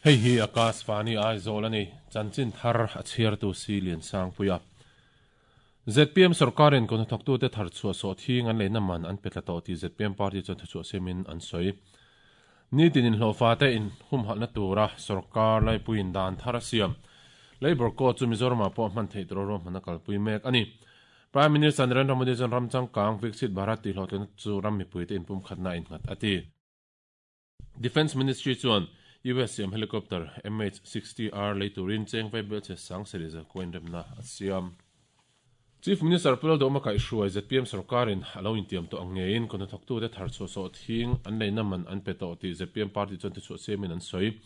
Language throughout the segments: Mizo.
Hei hi Akashvani Aizawl a ni, chanchin thar a chhiartu Si Liansangpuia. Zpm sorkarin kut hnathawktute thar chhuah sawh thing an leina man an pe tla tawh tih zpm party chuan thuchhuah siamin an sawi. Nitin inhlawhfate inhumhalhna tura sorkar laipuiin dan thar a siam. Labour Code chu Mizoramah pawh hman theih tura ruahmanna kalpui mek a ni. Prime Minister Narendra Modi chuan ram changkang Viksit Bharat tih hlawhtlinna chu ram mipuite inpumkhatna a innghat a ti. Defence Ministry chuan US siam helicopter MH-60R lei turin cheng vaibelchhe sang sarih zalkua inremna a siam. Chief Minister Pu Lalduhawma kaihhruai zpm sorkarin a lo intiam tawh ang ngeiin kut hnathawktute thar chhuah sawh thing an leina man an pe tawh tih zpm party chuan thuchhuah siamin an sawi.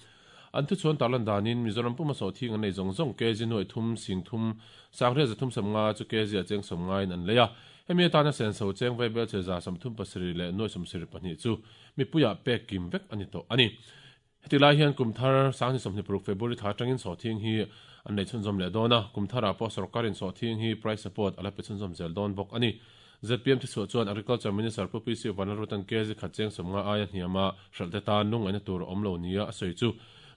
An thuchhuan tarlan danin Mizoram puma sawh thing an lei zawng zawng kg nuaih thum sing thum sangriat zathum sawmnga chu kg a cheng sawmngaiin an lei a. Hemi atana senso cheng vaibelchhe 37 leh nuaih 72 chu Mipuiah pek kim vek a ni tawh a ni. Heti lai hian kum thar 2026 February thla atangin sawhthing hi an nei chhunzawm leh dawn a, kum tharah pawh sorkarin sawhthing hi price support a la pe chhunzawm zel dawn bawk a ni. Zpm thichhuah chuan Agriculture Minister Pu PC Vanlalrutan kg khat cheng 50 aia hniama hralh te tan lungngaihna tur a awm lo nia a sawi chu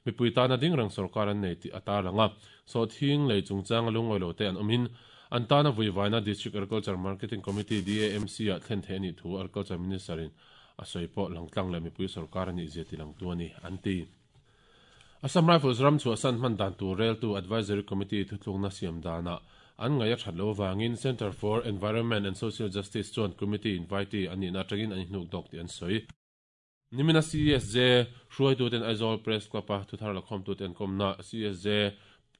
mipui tana ding reng sorkar an nei tih a tarlang a. Sawhthing lei chungchanga lungawi lo te an awmin an tana vuivaina District Agriculture Marketing Committee, DAMC, ah thlen theih a nih thu Agriculture Minister-in a sawi pawh langtlang leh mipui sorkar a nih zia ti langtu a ni, an ti. Assam Rifles ram chhuahsan hman dan tur reltu Advisory Committee thutlukna siam danah an ngaih a that lo avangin Centre for Environment and Social Justice chuan committee invitee an nihna atangin an inhnuk dawk tih an sawi. Nimina CSJ hruaituten Aizawl Press Club-a thuthar lakhawmtute an kawmna CSJ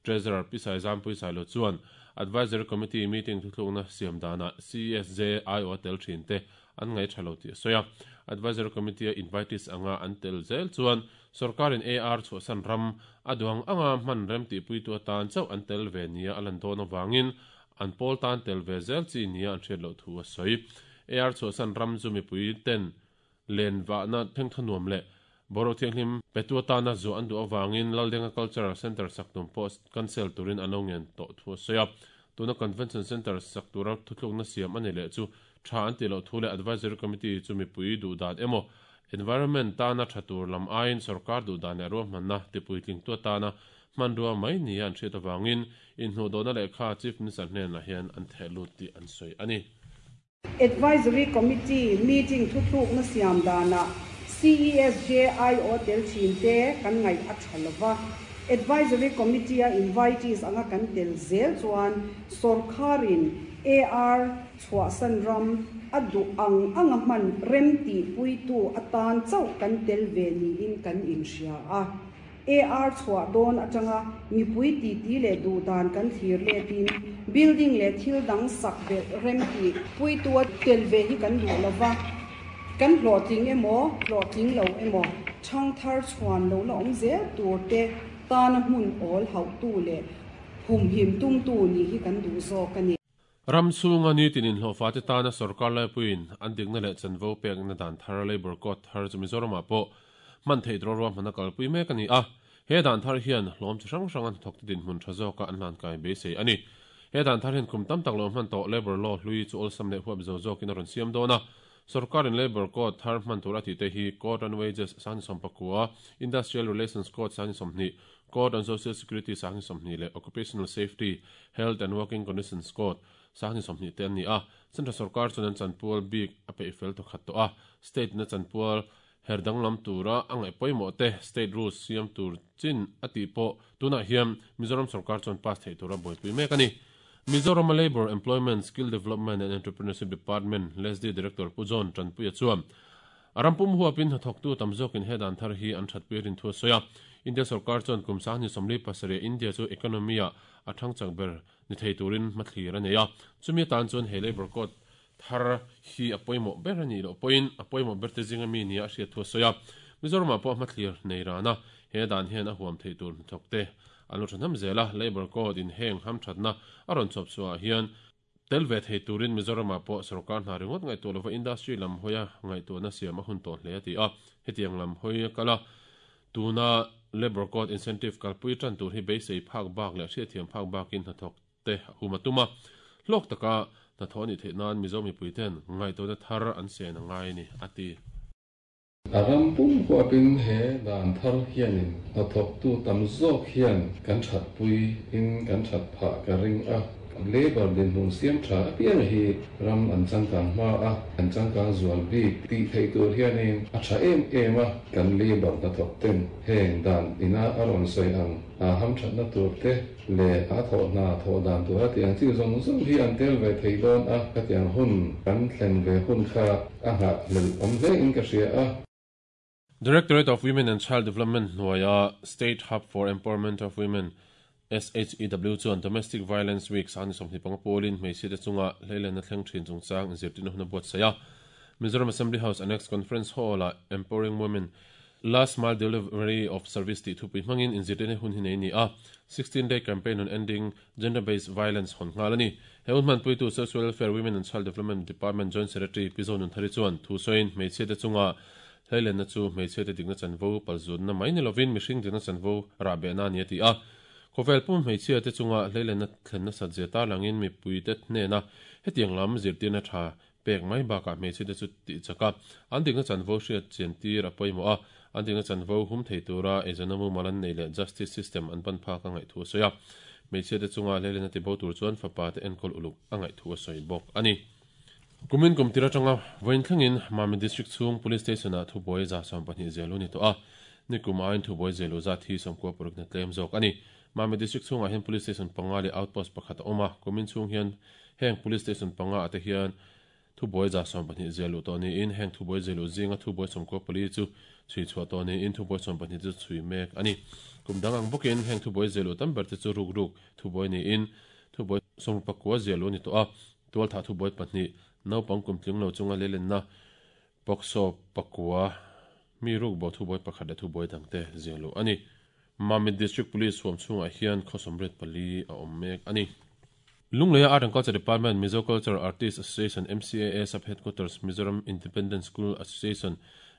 Treasurer Pi Saizampui Sailo chuan Advisory Committee meeting thuthlukna siam danah CSJ aiawh a tel thin te an ngaih tha lo tih a sawi a. Advisory Committee-a invitees anga an tel zel chuan sorkarin AR chhuahsan ram a duang anga hman rem tihpuitu atan chauh an tel ve nia a lan dawn avangin an pawl tan tel ve zel chi nia an hriat loh thu a sawi. AR chhuahsan ram chu mipui ten Len vahna thengthaw nuam leh boruak thianghlim petu atana zuah an duh avangin Laldenga Cultural Centre sak tum pawh cancel turin an lo ngen tawh thu a sawi a. Tuna Convention Centre sak tura thutlukna siam a ni leh chu tha an tih loh thu leh Advisory Committee chu mipui duh dan emaw environment tana tha tur lam aiin sorkar duh dan leh ruahmanna tipuitlingtu atana hmanrua mai nia an hriat avangin inhnuhdawhna lehkha Chief Minister hnenah hian an theh lut tih an sawi a ni. Advisory Committee meeting thuthlukna siam danah CESJIO tel thin te kan ngaih a tha lova, Advisory Committee-a invitees anga kan tel zel chuan sawrkharin AR chhuahsan ram a duh ang anga hman rem tihpuitu atan chauh kan tel ve niin kan inhria a. AR chhuah dawn atanga mipui titi leh duhdan kan thlir letin building leh thil dang sak belh rem tih puitua tel ve hi kan duh lo va, kan hlawhtling emaw hlawhtling lo emaw thangthar chhuan lo la awm zel tur te tana hmun awl hauhtu leh humhim tumtu nih hi kan duh zawk a ni. Ram chhunga nitin inhlawhfate tana sorkar laipuiin an dikna leh chanvo pekna dan thar Labour Code thar chu Mizoramah pawh hman theih tura ruahman a kalpui mek a ni a. He dan thar hian hlawm chi hrang hranga hnathawkte dinhmun tha zawka an hlankai beisei a ni. He dan thar hian kum tam tak lo hman tawh Labour Law hlui chu awlsam leh huap zo zawkin a rawn siam dawn a. Sorkarin Labour Code thar hman tur a tihte hi Code on Wages 19, Industrial Relations Code 20, Code on Social Security 20 leh Occupational Safety, Health and Working Conditions Code 20 te an ni a. Central sorkar chuan an chanpual bik a peih fel thawkhat tawh a, State in a chanpual her danglam tura a ngaih pawimawh te State Rules siam tur chin a tih pawh tunah hian Mizoram sorkar chuan pass theih tura buaipui mek a ni. Mizorama Labour, Employment, Skill Development and Entrepreneurship Department, LESDE, Director Pu John Tanpuia chuan a ram pum huapin hnathawktu tam zawkin he dan thar hi an thatpui rin thu a sawi a. India sorkar chuan kum 2047 India chu economy-ah a thang chak ber ni thei turin hmathlir a nei a. Chumi atan chuan he Labour Code thar hi a pawimawh ber a nih loh pawhin a pawimawh ber te zinga mi nia a hriat thu a sawi a. Mizoramah pawh hmathlir nei ran a, he dan hian a huam theih tur hnathawkte an lo thahnem zel a, Labour Code in heng hamthatna a rawn chhawp chhuahah hian tel ve thei turin Mizoramah pawh sorkar hna ringawt ngaihtuah lova industry lam hawia ngaihtuahna siam a hun tawh hle a ti a. Hetiang lam hawi a kal a, tuna Labour Code incentive kalpui tan tur hi beisei phak bak leh hriatthiam phak bakin hnathawk te a hum a tum a, hlawk taka hnathawh a nih theih nan Mizo mipuiten ngaihtuahna thar an sen a ngai a ni, a ti. A ram pum huapin he dan thar hianin hnathawktu tam zawk hian kan thatpui in kan that phah ka ring a. Labour dinhmun siam tha apiang hi ram an changkang hma a, an changkang zual bik tih theih tur hianin a tha em em a. Kan labour hnathawk ten heng dan ina a rawn sawi ang a hamthatna tur te leh a thawh hna thawh dan tura tih ang chi zawng zawng hi an tel ve thei dawn a, khatiang hun kan thlen ve hun kha a nghahhlelh awm hle in ka hria a. Directorate of Women and Child Development hnuaia State Hub for Empowerment of Women, SHEW, chuan Domestic Violence Week sangni 25 pawlin hmeichhiate chunga hleilenna thleng thin chungchang inzirtirna hun a buatsaih a. Mizoram Assembly House Annex Conference Hall-ah Empowering Women, Last Mile Delivery of Service tih thupui hmangin inzirtirna hun hi nei a ni a. 16 Day Campaign on Ending Gender-Based Violence hawn nghal a ni. He hun hmanpuitu Social Welfare, Women and Child Development Department Joint Secretary Pi Zonunthari chuan thu sawiin hmeichhiate chunga Hleilenna chu hmeichhiate dikna chanvo palzutna mai ni lovin mihring dikna chanvo rahbehna a ni a ti a. Khawvel pum hmeichhiate chunga hleilenna thlen nasat zia tarlangin mipuite hnena hetiang lam zirtirna tha pek mai bakah hmeichhiate chu tih chak a, an dikna chanvo hriat chian tir a pawimawh a, an dikna chanvo hum thei tura eizawnna mumal an neih leh justice system an pan phak a ngaih thu a sawi a. Hmeichhiate chunga hleilenna tibo tur chuan fapate enkawl uluk a ngaih thu a sawi bawk a ni. Kumin kum tir atanga vawiin thlengin Mami District chhung Police Station-ah thubuai 12 zelu ni tawh a, nikum aiin thubuai zelu zat hi 90 parukna tlem zawk a ni. Mami District chhungah hian Police Station panga leh Outpost pakhat a awm a, kumin chhung hian heng Police Station panga ah te hian thubuai 12 zelu tawh niin heng thubuai zelu zinga thubuai 94 chu chhui chhuah tawh niin thubuai 12 chu chhui mek a ni. Kum dang ang bawkin heng thubuai zelu tam ber te chu ruk ruk thubuai niin thubuai 69 zelu a ni tawh a, Tualthah thubuai pahnih, naupang kum tling lo chunga leilenna POCSO pakua mi rukbo thubuai pakhat leh thubuai dangte ziah luh a ni. Mamit District Police huam chhungah hian khaw 84 a awm mek a ni. Lungleia Art and Culture Department, Mizo Culture Artist Association, MCAA, Sub Headquarters, Mizoram Independent School Association,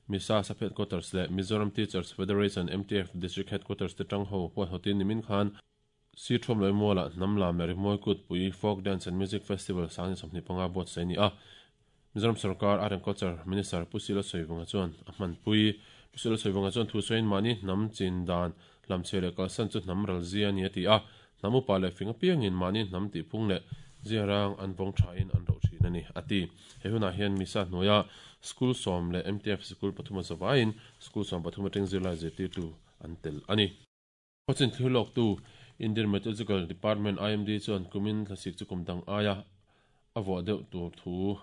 MISA, Sub Headquarters leh Mizoram Teachers Federation, MTF, District Headquarters te tangho huaihawtin nimin khan Sir Thuamloi Mualah hnam lam leh rimawi kutpui Folk Dance and Music Festival 2025 buatsaih a ni a. Mizoram sorkar Art and Culture Minister Pu Silo Sawivunga chuan a hmanpui. Pu Silo Sawivunga chuan thu sawiin mahni hnam chin dan hlamchhe leh kalsan chu hnam ral zia a ni a ti a. Hnam upa leh fing apiangin mahni hnam tihphung leh ziarang an vawng thain an roh thin a ni a ti. He hunah hian Misa hnuaia School sawm leh MTF sikul pathum a zavaiin School 13 atang zirlai zirtirtu an tel a ni. Khawchin thlir lawktu Indian Meteorological Department, IMD, chuan kumin thlasik chu kum dang aia a vuah deuh tur thu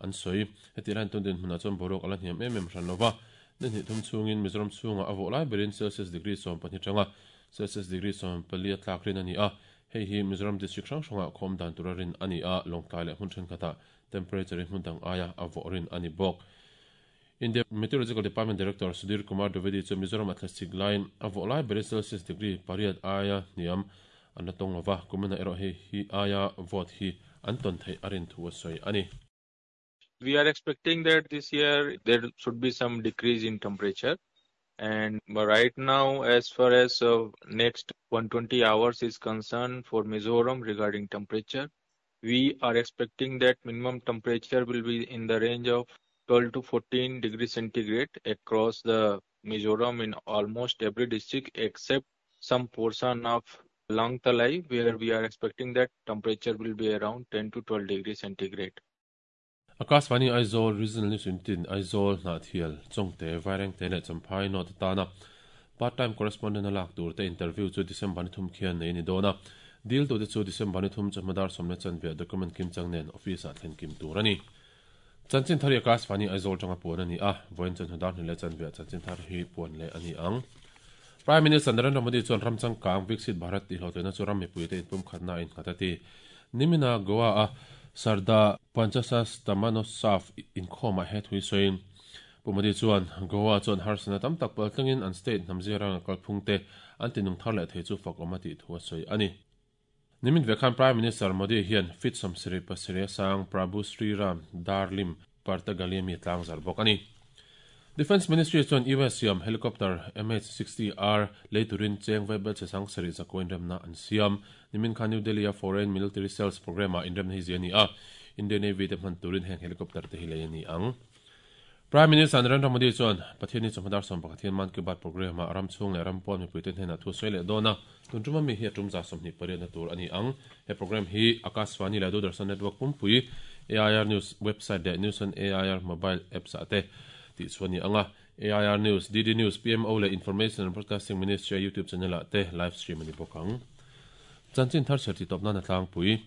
an sawi. Heti lai tun dinhmunah chuan boruak a la hniam em em hran lova, ni hnih thum chhungin Mizoram chhungah a vuah lai berin Celsius degree 12 tanga Celsius degree 14 a tlak rin a ni a. Hei hi Mizoram district hrang hrangah khawm dan tura rin a ni a, Lawngtlai leh hmun thenkhatah temperature hi hmun dang aia a vawh rin a ni bawk. India Meteorological Department Director Sudhir Kumar Dwivedi chu Mizoram a thlasik laiin a vawh lai berin Celsius degree pariat aia hniam an la tawng lova, kuminah erawh hei hi aia vawt hi an tawn theih a rin thu a sawi a ni. We are expecting that this year there should be some decrease in temperature and right now as far as next 120 hours is concerned for Mizoram regarding temperature, we are expecting that minimum temperature will be in the range of 12 to 14 degrees centigrade across the Mizoram in almost every district except some portion of Lawngtlai where we are expecting that temperature will be around 10 to 12 degrees centigrade. Akashvani Aizawl Regional News Unit-in Aizawl, Hnahthial, Chawngte, Vairengte leh Champhai North atana Part Time Correspondent a lak tur te interview chu December ni thum khian nei a ni dawn a. Dil tute chu December ni thum chawhma dar sawm leh chanve document kim chang nen office ah thlen kim tur a ni. Chanchin thar hi Akashvani Aizawl tanga puan a ni a, vawiin chawhnu dar hnih leh chanve ah chanchin thar hi puan leh a ni ang. Prime Minister Narendra Modi chuan ram changkang Viksit Bharat tih hlawhtlinna chu ram mipuite inpumkhatna a innghat a ti. Nimina Goa-a Sarda Panchasastamanosav inkhawmah he thui sawiin Pu Modi chuan Goa chuan harsatna tam tak pal tlangin an state hnam ziranga kalphungte an tinung thar leh thei chu fak awm a tih thu a sawi a ni. Nimin ve khan Prime Minister Modi hian feet 77 sang Prabhu Sri Ram Darlim Partagali-a mi tlang zar bawk a ni. Defence Ministry chuan US siam helicopter MH-60R lei turin cheng vaibel che sang sarih zakua inremna an siam. Nimin khan New Delhi-a Foreign Military Sales Programme-ah inremna hi zia a ni a, Indian Navy te hman turin heng helicopter te hi lei a ni ang. Prime Minister Narendra Modi chuan Pathianni chawhma dar 11 hian Mann Ki Baat programme ah ram chhung leh ram pawn mipuite hnenah thu sawi leh dawn a, tun tuma mi hi a tum 28 na tur a ni ang. He programme hi Akashvani leh Doordarshan network pumpui, AIR News website leh News on AIR mobile apps ah te tih chhuah a ni ang a. AIR News, DD News, PMO leh Information and Broadcasting Ministry-a YouTube channel ah te live stream a ni bawk ang. Chanchin thar chher tih tawp nan a tlangpui.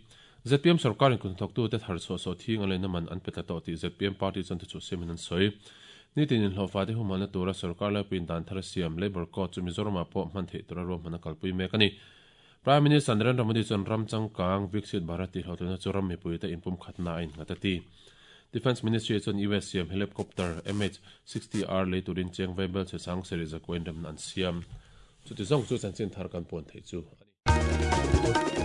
Zpm sorkarin kut hnathawktute thar chhuah sawhthing a leina man an pe tla tawh tih zpm party chuan thuchhuah siamin an sawi. Nitin inhlawhfate humhalna tura sorkar laipuiin dan thar a siam Labour Code chu Mizoramah pawh hman theih tura ruahman a kalpui mek a ni. Prime Minister Narendra Modi chuan ram changkang Viksit Bharat tih hlawhtlinna chu ram mipuite inpumkhatna a innghat a ti. Defence Ministry chuan US siam helicopter MH-60R lei turin cheng vaibel chhe sang sarih zakua inremna an siam. Chuti zawng chu chanchin thar kan puan theih chu a ni.